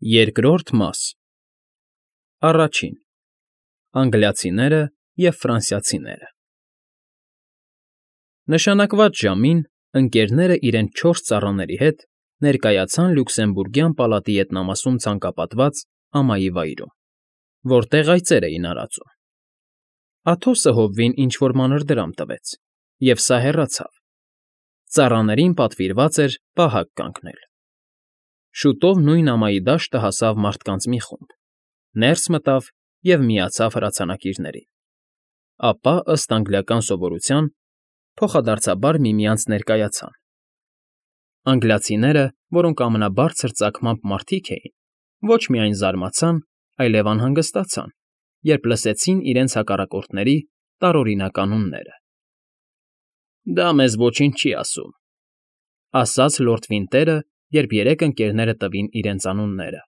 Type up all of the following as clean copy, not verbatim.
Երկրորդ մաս Առաջին. Անգլիացիները և ֆրանսիացիները Նշանակված ժամին ընկերները իրենց 4 ծառաների հետ ներկայացան Լյուքսեմբուրգյան պալատի ետնամասում ցանկապատված ամայի վայրում, որտեղ այծեր էին արածում։ Աթոսը հոբվին ինչ֊որ մանր դրամ տվեց, և սա հեռացավ։ Ծառաներին պատվիրված էր պահակ կանգնել։ Շուտով նույն ամայի դաշտը հասավ մարդկանց մի խումբ, ներս մտավ և միացավ հրացանակիրներին։ Ապա, ըստ անգլիական սովորության, փոխադարձաբար միմյանց ներկայացան։ Անգլիացիները, որոնք ամենաբարձր ծագմամբ մարդիկ էին, ոչ միայն զարմացան, այլև անհանգստացան, երբ լսեցին իրենց հակառակորդների տարօրինակ անունները։ «Դա մեզ ոչինչ չի ասում,֊ ասաց լորդ Վինտերը, երբ երեք ընկերները տվին իրենց անունները։֊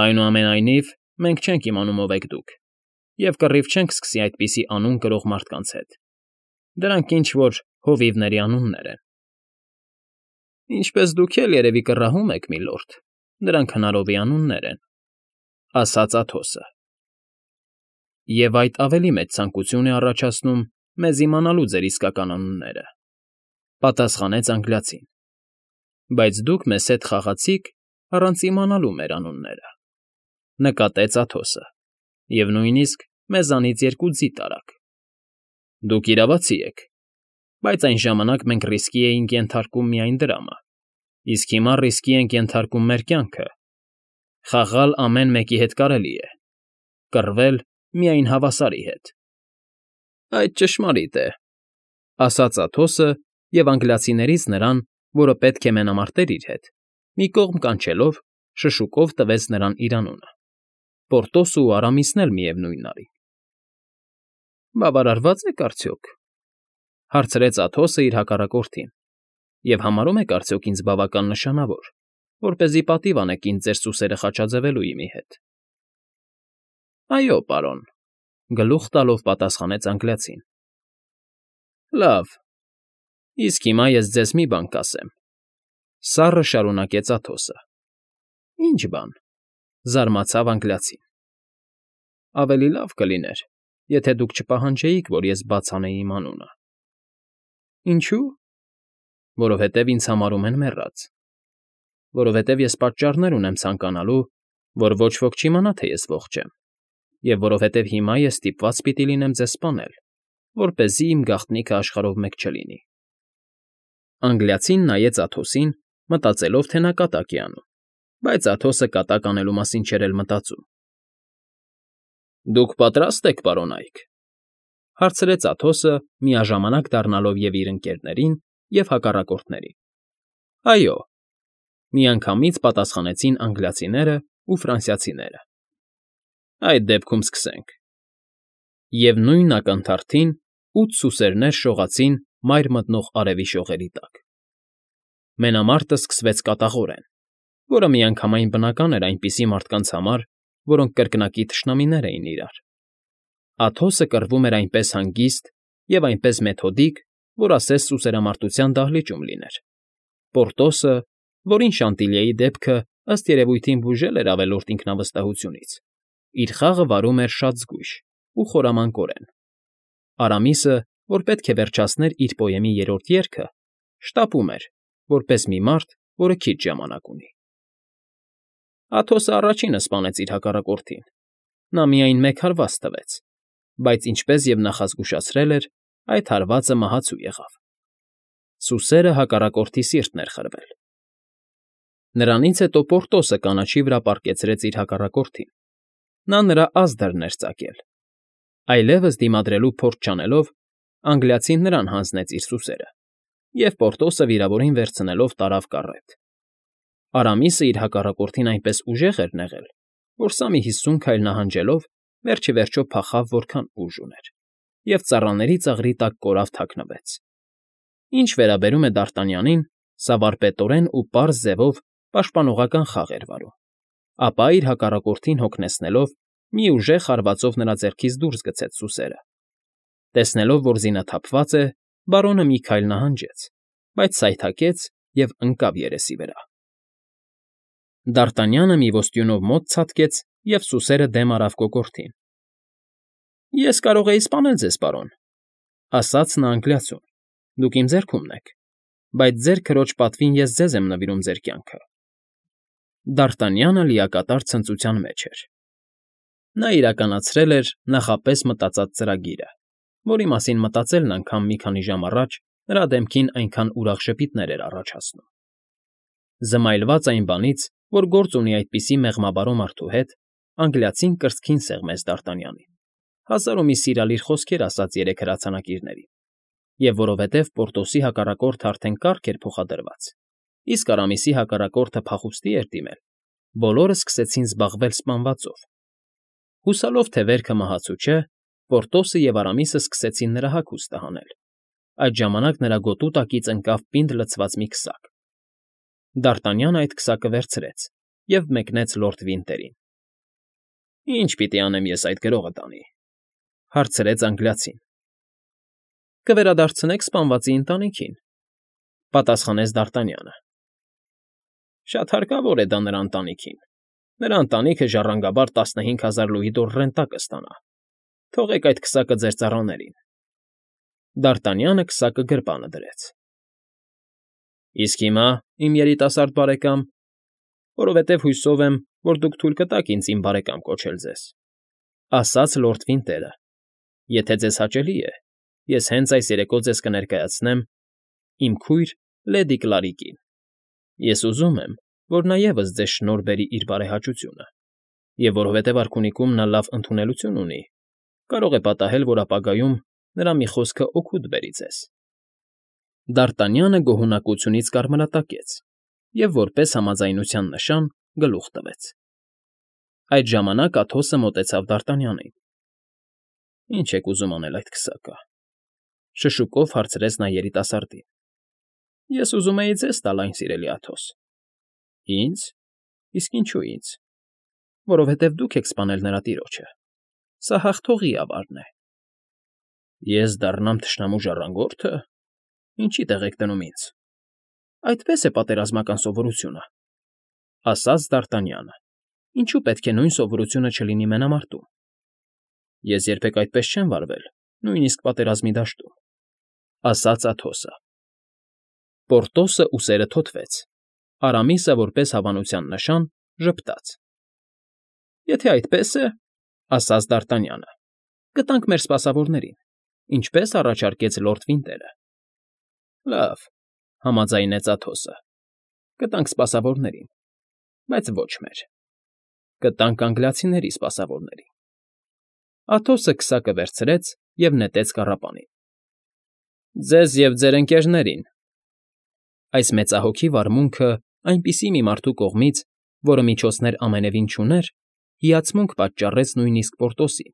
Այնուամենայնիվ, մենք չենք իմանում ով եք դուք և կռիվ չենք սկսի այդպիսի անուն կրող մարդկանց հետ. դրանք ինչ֊որ հովիվների անուններ են։ ֊ Ինչպես դուք էլ, երևի, կռահում եք, միլորդ, դրանք հնարովի անուններ են,֊ ասաց Աթոսը։ ֊ Եվ այդ ավելի մեծ ցանկություն է առաջացնում մեզ իմանալու ձեր իսկական անունները,֊ պատասխանեց անգլիացին,֊ բայց դուք մեզ հետ խաղացիք առանց իմանալու մեր անունները,֊ նկատեց Աթոսը,֊ և նույնիսկ մեզանից 2 ձի տարաք։ Դուք իրավացի եք, բայց այն ժամանակ մենք ռիսկի էինք ենթարկում միայն դրամը, իսկ հիմա ռիսկի ենք ենթարկում մեր կյանքը։ Խաղալ ամեն մեկի հետ կարելի է, կռվել միայն հավասարի հետ։ ֊ Այդ ճշմարիտ է,֊ ասաց Աթոսը և անգլիացիներից նրան, որը պետք է մենամարտեր իր հետ, մի կողմ կանչելով, շշուկով տվեց նրան իր անունը։ Պորտոսն ու Արամիսն էլ միևնույնն արին։ ֊ Բավարարվա՞ծ եք արդյոք,֊ հարցրեց Աթոսը իր հակառակորդին,֊ և համարո՞ւմ եք արդյոք ինձ բավական նշանավոր, որպեսզի պատիվ անեք ինձ ձեր սուսերը խաչաձևելու իմի հետ։ ֊ Այո, պարոն,֊ գլուխ տալով պատասխանեց անգլիացին։ ֊ Լավ, իսկ հիմա ես ձեզ մի բան կասեմ,֊ սառը շարունակեց Աթոսը։ ֊ Ի՞նչ բան,֊ զարմացավ անգլիացին։ ֊ Ավելի լավ կլիներ, եթե դուք չպահանջեիք, որ ես բաց անեի իմ անունը։ ֊ Ինչո՞ւ։ ֊ Որովհետև ինձ համարում են մեռած։ ֊ Որովհետև ես պատճառներ ունեմ ցանկանալու, որ ոչ ոք չիմանա, թե ես ողջ եմ, և որովհետև հիմա ես ստիպված պիտի լինեմ ձեզ սպանել, որպեսզի իմ գաղտնիքը աշխարհով մեկ չլինի։ Անգլիացին նայեց Աթոսին, մտածելով, թե նա կատակ է անում, բայց Աթոսը կատակ անելու մասին չէր էլ մտածում։ ֊ Դուք պատրա՞ստ եք, պարոնայք,֊ հարցրեց Աթոսը, միաժամանակ դառնալով և՛ իր ընկերներին, և՛ հակառակորդներին։ ֊ Այո,֊ միանգամից պատասխանեցին անգլիացիներն ու ֆրանսիացիները։ ֊ Այդ դեպքում սկսենք։ Եվ նույն ակնթարթին 8 սուսերներ շողացին մայր մտնող արևի շողերի տակ։ Մենամարտը սկսվեց կատաղորեն, որը միանգամայն բնական էր այնպիսի մարդկանց համար, որոնք կրկնակի թշնամիներ էին իրար։ Աթոսը կռվում էր այնպես հանգիստ և այնպես մեթոդիկ, որ ասես սուսերամարտության դահլիճում լիներ։ Պորտոսը, որին Շանտիլիեի դեպքը, ըստ երևույթին, բուժել էր ավելորդ ինքնավստահությունից, իր խաղը վարում էր շատ զգույշ ու խորամանկորեն։ Արամիսը, որ պետք է վերջացներ իր պոեմի 3-րդ երգը, շտապում էր, որպես մի մարդ, որը քիչ ժամանակ ունի։ Աթոսը առաջինը սպանեց իր հակառակորդին։ Նա միայն 1 հարված տվեց, բայց, ինչպես և նախազգուշացրել էր, այդ հարվածը մահացու եղավ։ Սուսերը հակառակորդի սիրտն էր խրվել։ Նրանից հետո Պորտոսը կանաչի վրա պառկեցրեց իր հակառակորդին։ Նա նրա ազդրն էր ծակել։ Այլևս դիմադրելու փորձ չանելով, անգլիացին նրան հանձնեց իր սուսերը, և Պորտոսը վիրավորին վերցնելով տարավ կառետ։ Արամիսը իր հակառակորդին այնպես ուժեղ էր նեղել, որ սա մի 50 քայլ նահանջելով, վերջիվերջո փախավ որքան ուժ ուներ, և ծառաների ծաղրի տակ կորավ թաքնվեց։ Ինչ վերաբերում է Դարտանյանին, սա վարպետորեն ու պարզ ձևով պաշտպանողական խաղ էր վարում, ապա իր հակառակորդին հոգնեցնելով, մի ուժեղ հարվածով նրա ձեռքից դուրս գցեց սուսերը։ Տեսնելով, որ զինը թափված է, բարոնը մի քայլ նահանջեց, բայց սայթաքեց և ընկավ երեսի վրա։ Դարտանյանը մի ոստյունով մոտ ցատկեց և սուսերը դեմ արավ կոկորդին։ ֊ Ես կարող էի սպանել ձեզ, պարոն,֊ ասաց նա անգլիացուն,֊ դուք իմ ձեռքումն եք, բայց ձեր քրոջ պատվին ես ձեզ եմ նվիրում ձեր կյանքը։ Դարտանյանը լիակատար ցնծության մեջ էր։ Նա իրականացրել էր նախապես մտածած ծրագիրը, որի մասին մտածելն անգամ մի քանի ժամ առաջ նրա դեմքին այնքան ուրախ ժպիտներ էր առաջացնում։ Զմայլված այն բանից, որ գործ ունի այդպիսի մեղմաբարո մարդու հետ, անգլիացին կրծքին սեղմեց Դարտանյանին, հազար ու մի սիրալիր խոսքեր ասաց երեք հրացանակիրներին, և որովհետև Պորտոսի հակառակորդը արդեն կառք էր փոխադրված, իսկ Արամիսի հակառակորդը փախուստի էր դիմել, բոլորը սկսեցին զբաղվել սպանվածով։ Հուսալով, թե վերքը մահացու չէ, Պորտոսը և Արամիսը սկսեցին նրա հագուստը հանել։ Այդ ժամանակ նրա գոտու տակից ընկավ պինդ լցված մի քսակ։ Դարտանյանը այդ քսակը վերցրեց և մեկնեց լորդ Վինտերին։ ֊ Ի՞նչ պիտի անեմ ես այդ գրողը տանի,֊ հարցրեց անգլիացին։ ֊ Կվերադարձնեք սպանվածի ընտանիքին,֊ պատասխանեց Դարտանյանը։ ֊ Շատ հարկավոր է դա նրա ընտանիքին։ Նրա ընտանիքը ժառանգաբար 15,000 լուի դոր ռենտա կստանա։ Թողեք այդ քսակը ձեր ծառաներին։ Դարտանյանը քսակը գրպանը դրեց։ ֊ Իսկ հիմա, իմ երիտասարդ բարեկամ, որովհետև հույսով եմ, որ դուք թույլ կտաք ինձ իմ բարեկամ կոչել ձեզ,֊ ասաց լորդ Վինտերը,֊ եթե ձեզ հաճելի է, ես հենց այս երեկո ձեզ կներկայացնեմ իմ քույր լեդի Կլարիկին։ Ես ուզում եմ, որ նա ևս ձեզ շնորհ բերի իր բարեհաճությունը, և որովհետև արքունիքում նա լավ ընդունելություն ունի, կարող է պատահել, որ ապագայում նրա մի խոսքը օգուտ բերի ձեզ։ Դարտանյանը գոհունակությունից կարմրատակեց և որպես համաձայնության նշան գլուխ տվեց։ Այդ ժամանակ Աթոսը մոտեցավ Դարտանյանին։ ֊ Ի՞նչ եք ուզում անել այդ քսակը,֊ շշուկով հարցրեց նա երիտասարդին։ ֊ Ես ուզում էի ձեզ տալ այն, սիրելի Աթոս։ ֊ Ինձ։ Իսկ ինչո՞ւ ինձ։ ֊ Որովհետև դուք եք սպանել նրա տիրոջը։ Սա հաղթողի ավարն է։ ֊ Ես դառնամ թշնամու ժառանգո՞րդը։ Ինչի՞ տեղ եք դնում ինձ։ ֊ Այդպես է պատերազմական սովորությունը,֊ ասաց Դարտանյանը։ Ինչու պետք է նույն սովորությունը չլինի մենամարտում։ ֊ Ես երբեք այդպես չեմ վարվել, նույնիսկ պատերազմի դաշտում,֊ ասաց Աթոսը։ Պորտոսը ուսերը թոթվեց, Արամիսը, որպես հավանության նշան, ժպտաց։ ֊ Եթե այդպես է,֊ ասաց Դարտանյանը,֊ կտանք մեր սպասավորներին, ինչպես առաջարկեց լորդ Վինտերը։ ֊ Լավ,֊ համաձայնեց Աթոսը,֊ կտանք սպասավորներին, բայց ոչ մեր։ Կտանք անգլիացիների սպասավորներին։ Աթոսը քսակը վերցրեց և նետեց կառապանին։ ֊ Ձեզ և ձեր ընկերներին։ Այս մեծահոգի վարմունքը այնպիսի մի մարդու կողմից, որը միջոցներ ամենևին չուներ, հիացմունք պատճառեց նույնիսկ Պորտոսին,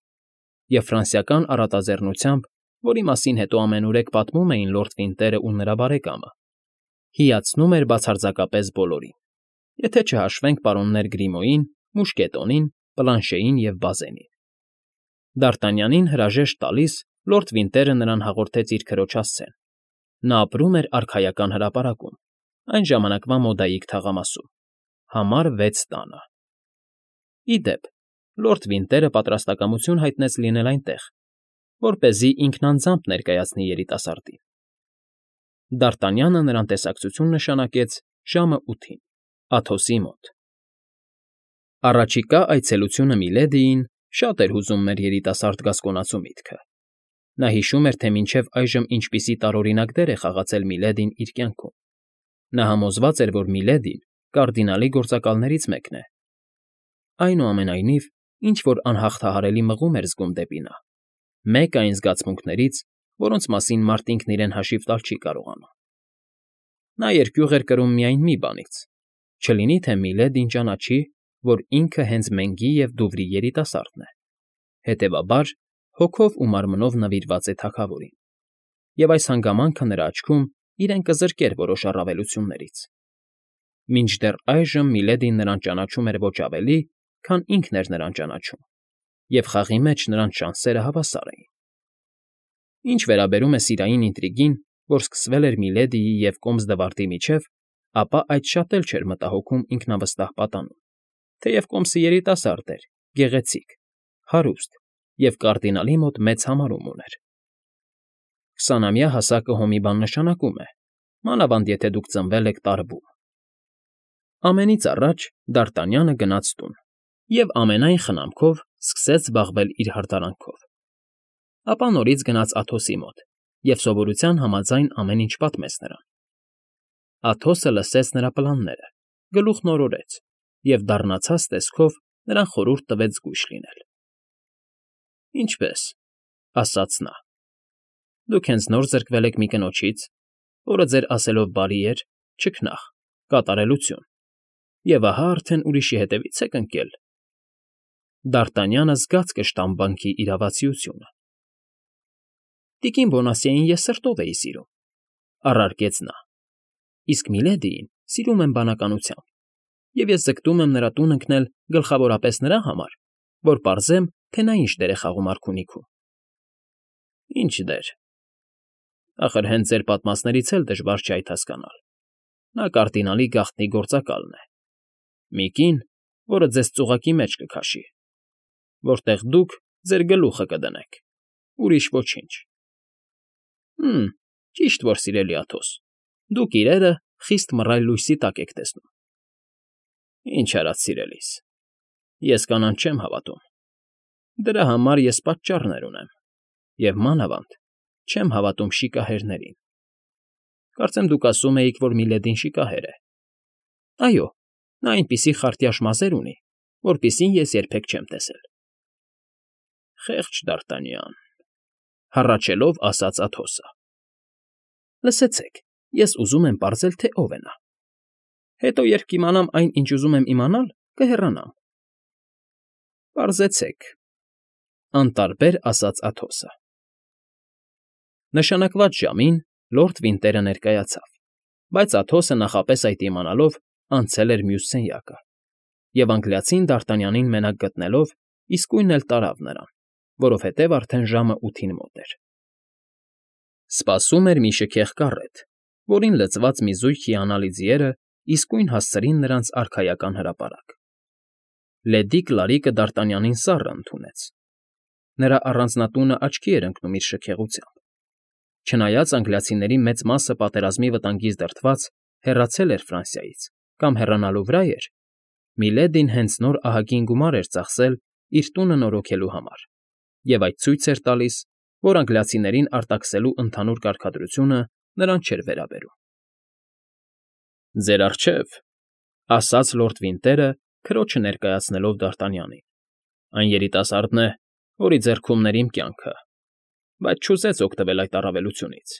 և ֆրանսիական առատաձեռնությամբ, որի մասին հետո ամենուրեք պատմում էին լորդ Վինտերն ու նրա բարեկամը, հիացնում էր բացարձակապես բոլորին, եթե չհաշվենք պարոններ Գրիմոյին, Մուշկետոնին, Պլանշեին և Բազենին։ Դարտանյանին հրաժեշտ տալիս լորդ Վինտերը նրան հաղորդեց իր քրոջ հասցեն։ Նա ապրում էր արքայական հրապարակում, այն ժամանակվա մոդայիկ թաղամասում, համար 6 տանը։ Ի դեպ, լորդ Վինտերը պատրաստակամություն հայտնեց լինել այնտեղ, որպեսզի ինքն անձամբ ներկայացնի երիտասարդին։ Դարտանյանը նրան տեսակցություն նշանակեց ժամը 8-ին, Աթոսի մոտ։ Առաջիկա այցելությունը Միլեդիին շատ էր հուզում մեր երիտասարդ գասկոնացու միտքը։ Նա հիշում էր, թե մինչև այժմ ինչպիսի տարօրինակ դեր է խաղացել Միլեդին իր կյանքում։ Նա համոզված էր, որ Միլեդին կարդինալի գործակալներից մեկն է։ Այնուամենայնիվ, ինչ֊որ անհաղթահարելի մղում էր զգում դեպի նա, մեկ այն զգացմունքներից, որոնց մասին մարդ ինքն իրեն հաշիվ տալ չի կարողանում։ Նա երկյուղ էր կրում միայն մի բանից. չլինի թե Միլեդին ճանաչի, որ ինքը հենց Մենգի և Դուվրի երիտասարդն է, հետևաբար հոգով ու մարմնով նվիրված է թագավորին, և այս հանգամանքը նրա աչքում իրեն կզրկեր որոշ առավելություններից։ Մինչդեռ այժմ Միլեդին նրան ճանաչում էր ոչ ավելի, քան ինքն էր նրան ճանաչում, և խաղի մեջ նրանց շանսերը հավասար էին։ Ինչ վերաբերում է սիրային ինտրիգին, որ սկսվել էր Միլեդիի և Կոմս Դվարդի միջև, ապա այդ շատ էլ չէր մտահոգում ինքնավստահ պատանում, թեև կոմսը երիտասարդ էր, գեղեցիկ, հարուստ և կարդինալի մոտ մեծ համարում ուներ։ 20-ամյա հասակը հոմի բան նշանակում է, մանավանդ եթե դուք ծնվել եք տարբում։ Ամենից առաջ Դարտանյանը գնաց տուն և ամենայն խնամքով սկսեց զբաղվել իր հարդարանքով։ Ապա նորից գնաց Աթոսի մոտ և սովորության համաձայն ամեն ինչ պատմեց նրան։ Աթոսը լսեց նրա պլանները, գլուխն օրորեց և դառնացած տեսքով նրան խորհուրդ տվեց զգույշ լինել։ «Ինչպե՞ս,֊ ասաց նա,֊ դուք հենց նոր զրկվել եք մի կնոջից, որը ձեր ասելով բարի էր, չքնաղ, կատարելություն, և ահա արդեն ուրիշի հետևից եք ընկել»։ Դարտանյանը զգաց կշտամբանքի իրավացիությունը։ «Տիկին Բոնասիեին ես սրտով էի սիրում,֊ առարկեց նա,֊ իսկ Միլեդիին սիրում եմ բանականությամբ, և ես ձգտում եմ նրա տուն ընկնել գլխավորապես նրա համար, որ պարզեմ, թե նա ինչ դեր է խաղում արքունիքում»։ «Ինչ դեր։ Ախր հենց ձեր պատմածներից էլ դժվար չէ այդ հասկանալ. նա կարդինալի գաղտնի գործակալն է, մի կին, որը ձեզ ծուղակի մեջ կքաշի, որտեղ դուք ձեր գլուխը կդնեք, ուրիշ ոչինչ։ Ճիշտ որ, սիրելի Աթոս, դուք իրերը խիստ մռայլ լույսի տակ եք տեսնում։ Ինչ արած, սիրելիս, ես կանանց չեմ հավատում։ Դրա համար ես պատճառներ ունեմ, և մանավանդ չեմ հավատում շիկահերներին։ Կարծեմ դուք ասում էիք, որ Միլեդին շիկահեր է։ Այո, նա այնպիսի խարտյաշ մազեր ունի, որպիսին ես երբեք չեմ տեսել։ Խեղճ Դարտանյան,֊ հառաչելով ասաց Աթոսը։ Լսեցեք, ես ուզում եմ պարզել, թե ով է նա։ Հետո, երբ կիմանամ այն, ինչ ուզում եմ իմանալ, կհեռանամ։ Պարզեցեք,֊ անտարբեր ասաց Աթոսը։ Նշանակված ժամին լորդ Վինտերը ներկայացավ, բայց Աթոսը նախապես այդ իմանալով անցել էր մյուս սենյակը, և անգլիացին Դարտանյանին մենակ գտնելով իսկույն էլ տարավ նրան, որովհետև արդեն ժամը 8-ին մոտ էր։ Սպասում էր մի շքեղ կառետ, որին լցված մի զույգ հիանալի ձիերը իսկույն հասցրին նրանց արքայական հրապարակ։ Լեդիկ Լարիկը Դարտանյանին սառը ընդունեց։ Նրա առանձնատունը աչքի էր ընկնում իր շքեղությամբ։ Չնայած անգլիացիների մեծ մասը պատերազմի վտանգից դրդված հեռացել էր Ֆրանսիայից կամ հեռանալու վրա էր, Միլեդին հենց նոր ահագին գումար էր ծախսել իր տունը նորոգելու համար, և այդ ցույց էր տալիս, որ անգլիացիներին արտաքսելու ընդհանուր կարգադրությունը նրան չէր վերաբերում։ «Ձեր առջև,֊ ասաց լորդ Վինտերը, քրոջը ներկայացնելով Դարտանյանին,֊ այն երիտասարդն է, որի ձեռքումն էր իմ կյանքը, բայց չուզեց օգտվել այդ առավելությունից։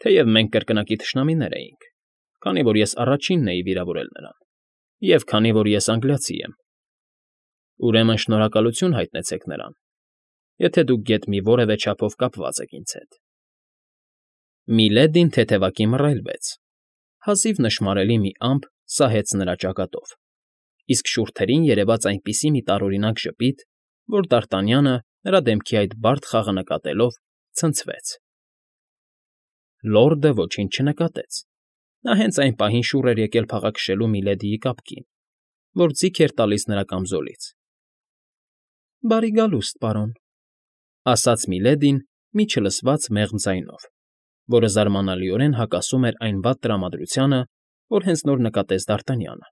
Թեև մենք կրկնակի թշնամիներ էինք, քանի որ ես առաջինն էի վիրավորել նրան, և քանի որ ես անգլիացի եմ։ Ուրեմն շնորհակալություն հայտնեցեք նրան, եթե դուք գեթ մի որևէ չափով կապված եք ինձ հետ»։ Միլեդին թեթևակի մռայլվեց, հազիվ նշմարելի մի ամպ սահեց նրա ճակատով, իսկ շուրթերին երևաց այնպիսի մի տարօրինակ ժպիտ, որ Դարտանյանը, նրա դեմքի այդ բարդ խաղը նկատելով, ցնցվեց։ Լորդը ոչինչ չնկատեց։ Նա հենց այն պահին շուռ էր եկել փաղաքշելու Միլեդիի կապկին, որ ձիգ էր տալիս նրա կամզոլից։ «Բարի գալուստ, պարոն,֊ ասաց Միլեդին մի չլսված մեղմ ձայնով, որը զարմանալիորեն հակասում էր այն վատ տրամադրությանը, որ հենց նոր նկատեց Դարտանյանը։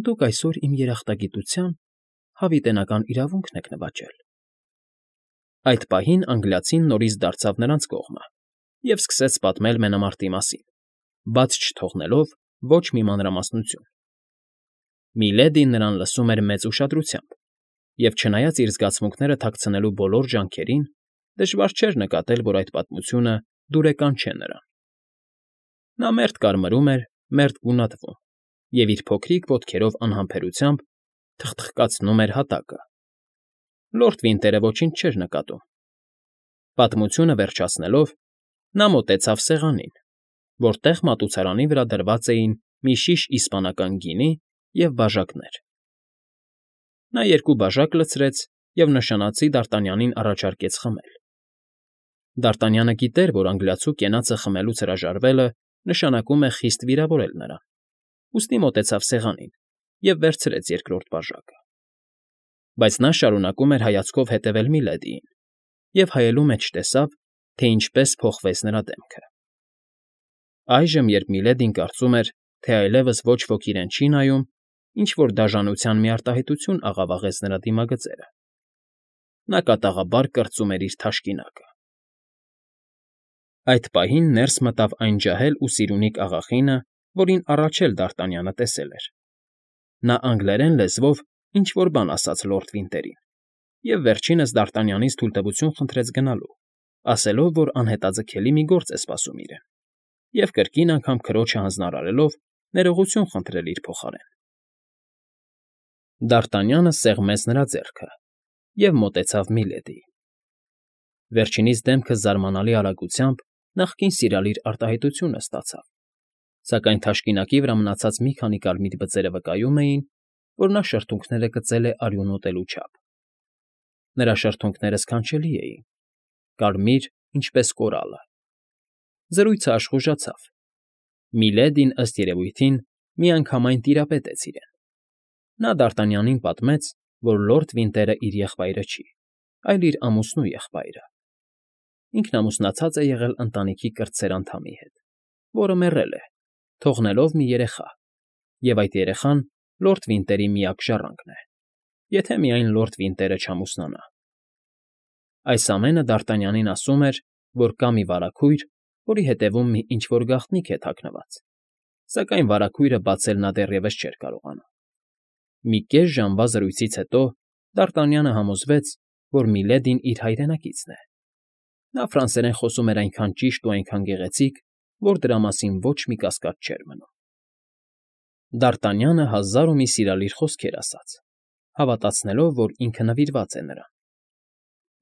Դուք այսօր իմ երախտագիտության հավիտենական իրավունքն եք նվաճել»։ Այդ պահին անգլիացին նորից դարձավ նրանց կողմը և սկսեց պատմել մենամարտի մասին, բաց չթողնելով ոչ մի մանրամասնություն։ Միլեդին նրան լսում էր մեծ ուշադրությամբ, և չնայած իր զգացմունքները թաքցնելու բոլոր ջանքերին, դժվար չէր նկատել, որ այդ պատմությունը դուրեկան չէ նրան։ Նա մերթ կարմրում էր, մերթ գունատվում և իր փոքրիկ ոտքերով անհամբերությամբ թխթխկացնում էր հատակը։ Լորդ Վինտերը ոչինչ չէր նկատում։ Պատմությունը վերջացնելով, նա մոտեցավ սեղանին, որտեղ մատուցարանի վրա դրված էին մի շիշ իսպանական գինի և բաժակներ։ Նա երկու բաժակ լցրեց և նշանածի Դարտանյանին առաջարկեց խմել։ Դարտանյանը գիտեր, որ անգլիացու կենացը խմելուց հրաժարվելը նշանակում է խիստ վիրավորել նրան, ուստի մոտեցավ սեղանին և վերցրեց երկրորդ բաժակը։ Բայց նա շարունակում էր հայացքով հետևել Միլեդիին և հայելու մեջ տեսավ, թե ինչպես փոխվեց նրա դեմքը։ Այժմ, երբ Միլեդին կարծում էր, թե այլևս ոչ ոք իրեն չի նայում, ինչ֊որ դաժանության մի արտահայտություն աղավաղեց նրա դիմագծերը։ Նա կատաղաբար կրծում էր իր թաշկինակը։ Այդ պահին ներս մտավ այն ջահել ու սիրունիկ աղախինը, որին առաջ էլ Դարտանյանը տեսել էր։ Նա անգլերեն լեզվով ինչ֊որ բան ասաց լորդ Վինտերին և վերջինս Դարտանյանից թույլտվություն խնդրեց գնալու, ասելով, որ անհետաձգելի մի գործ է սպասում իրեն, և կրկին անգամ քրոջը հանձնարարելով ներողություն խնդրել իր փոխարեն։ Դարտանյանը սեղմեց նրա ձեռքը և մոտեցավ Միլեդիին։ Վերջինիս դեմքը զարմանալի արագությամբ նախկին սիրալիր արտահայտությունը ստացավ, սակայն թաշկինակի վրա մնացած մի քանի կարմիր բծերը վկայում էին, որ նա շրթունքները կծել է արյուն ուտելու չափ։ Նրա շրթունքները սքանչելի էին, կարմիր, ինչպես կորալը։ Զրույցը աշխուժացավ։ Միլեդին, ըստ երևույթին, միանգամայն տիրապետեց իրեն։ Նա Դարտանյանին պատմեց, որ լորդ Վինտերը իր եղբայրը չի, այլ իր ամուսնու եղբայրը։ Ինքն ամուսնացած է եղել ընտանիքի կրտսեր անդամի հետ, որը մեռել է, թողնելով մի երեխա, և այդ երեխան լորդ Վինտերի միակ ժառանգն է, եթե միայն լորդ Վինտերը չամուսնանա։ Այս ամենը Դարտանյանին ասում էր, որ կա մի վարագույր, որի հետևում մի ինչ֊որ գաղտնիք է թաքնված, սակայն վարագույրը բացել նա դեռևս չէր կարողանում։ Մի կես ժամվա զրույցից հետո Դարտանյանը համոզվեց, որ Միլեդին իր հայրենակիցն է։ Նա ֆրանսերեն խոսում էր այնքան ճիշտ ու այնքան գեղեցիկ, որ դրա մասին ոչ մի կասկած չէր մնում։ Դարտանյանը հազար ու մի սիրալիր խոսքեր ասաց, հավատացնելով, որ ինքը նվիրված է նրան։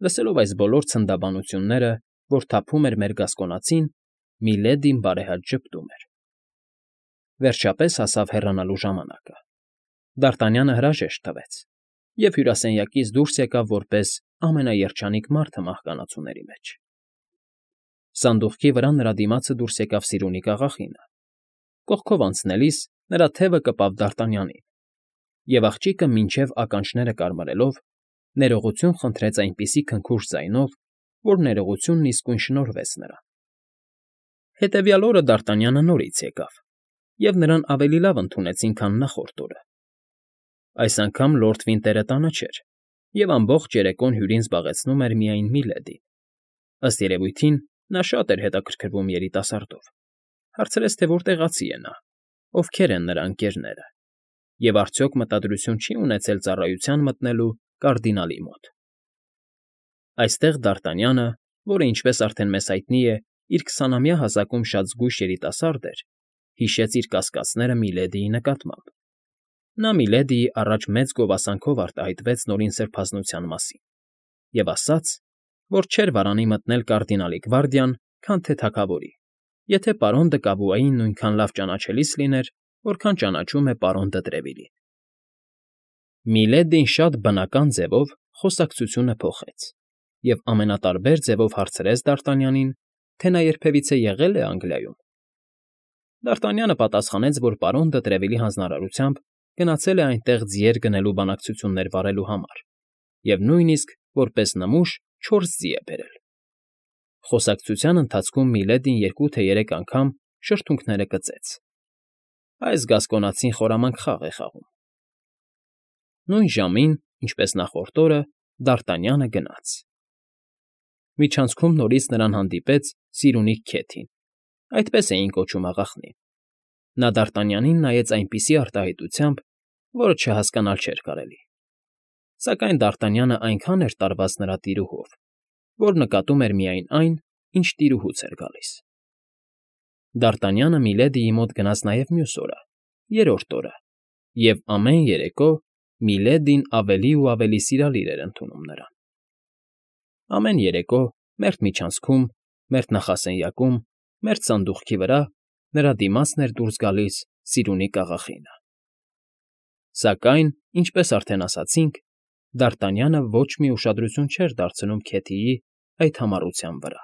Լսելով այս բոլոր ցնդաբանությունները, որ թափում էր մեր գասկոնացին, Միլեդին բարեհաճ ժպտում էր։ Վերջապես հասավ հեռանալու ժամանակը։ Դարտանյանը հրաժեշտ տվեց և հյուրասենյակից դուրս եկավ որպես ամենաերջանիկ մարդը մահկանացուների մեջ։ Սանդուղքի վրա նրա դիմացը դուրս եկավ սիրունիկ աղախինը։ Կողքով անցնելիս նրա թևը կպավ Դարտանյանին, և աղջիկը մինչև ականջները կարմարելով ներողություն խնդրեց այնպիսի քնքուշ ձայնով, որ ներողությունն իսկույն շնորհվեց նրան։ Հետևյալ օրը Դարտանյանը նորից եկավ, և նրան ավելի լավ ընդունեցին, քան նախորդ օրը։ Այս անգամ լորդ Վինտերը տանը չէր, և ամբողջ երեկոն հյուրին զբաղեցնում էր միայն Միլեդին։ Ըստ երևույթին, նա շատ էր հետաքրքրվում երիտասարդով, հարցրեց, թե որտեղացի է նա, ովքեր են նրա ընկերները, և արդյոք մտադրություն չի ունեցել ծառայության մտնելու կարդինալի մոտ։ Այստեղ Դարտանյանը, որը, ինչպես արդեն մեզ հայտնի է, իր 20-ամյա հասակում շատ զգույշ երիտասարդ էր, հիշեց իր կասկածները Միլեդիի նկատմամբ։ Նա Միլեդիի առաջ մեծ գովասանքով արտահայտվեց նորին սրբազնության մասին և ասաց, որ չէր վարանի մտնել կարդինալի գվարդիան, քան թե թագավորի, եթե պարոն դը Կավուային նույնքան լավ ճանաչելիս լիներ, որքան ճանաչում է պարոն դը Տրևիլին։ Միլեդին շատ բնական ձևով խոսակցությունը փոխեց և ամենատարբեր ձևով հարցրեց Դարտանյանին, թե նա երբևիցե եղել է Անգլիայում։ Դարտանյանը պատասխանեց, որ պարոն դը Տրևիլի հանձնարարությամբ գնացել է այնտեղ ձիեր գնելու բանակցություններ վարելու համար և նույնիսկ, որպես նմուշ, 4 ձի է բերել։ Խոսակցության ընթացքում Միլեդին 2 թե 3 անգամ շրթունքները կծեց։ Այս գասկոնացին խորամանկ խաղ է խաղում։ Նույն ժամին, ինչպես նախորդ օրը, Դարտանյանը գնաց։ Միջանցքում նորից նրան հանդիպեց Սիրունիկ Քեթին, այդպես էին կոչում աղախնին։ Նա Դարտանյանին նայեց այնպիսի արտահայտությամբ, որը չհասկանալ չէր կարելի։ Սակայն Դարտանյանը այնքան էր տարված նրա տիրուհով, որ նկատում էր միայն այն, ինչ տիրուհուց էր գալիս։ Դարտանյանը Միլեդիի մոտ գնաց նաև մյուս օրը, երրորդ օրը, և ամեն երեկո Միլեդին ավելի ու ավելի սիրալիր էր ընդունում նրան։ Ամեն երեկո, մերթ միջանցքում, մերթ նախասենյակում, մերթ սանդուղքի վրա նրա դիմացն էր դուրս գալիս սիրունիկ աղախինը։ Սակայն, ինչպես արդեն ասացինք, Դարտանյանը ոչ մի ուշադրություն չէր դարձնում Քեթիի այդ համառության վրա։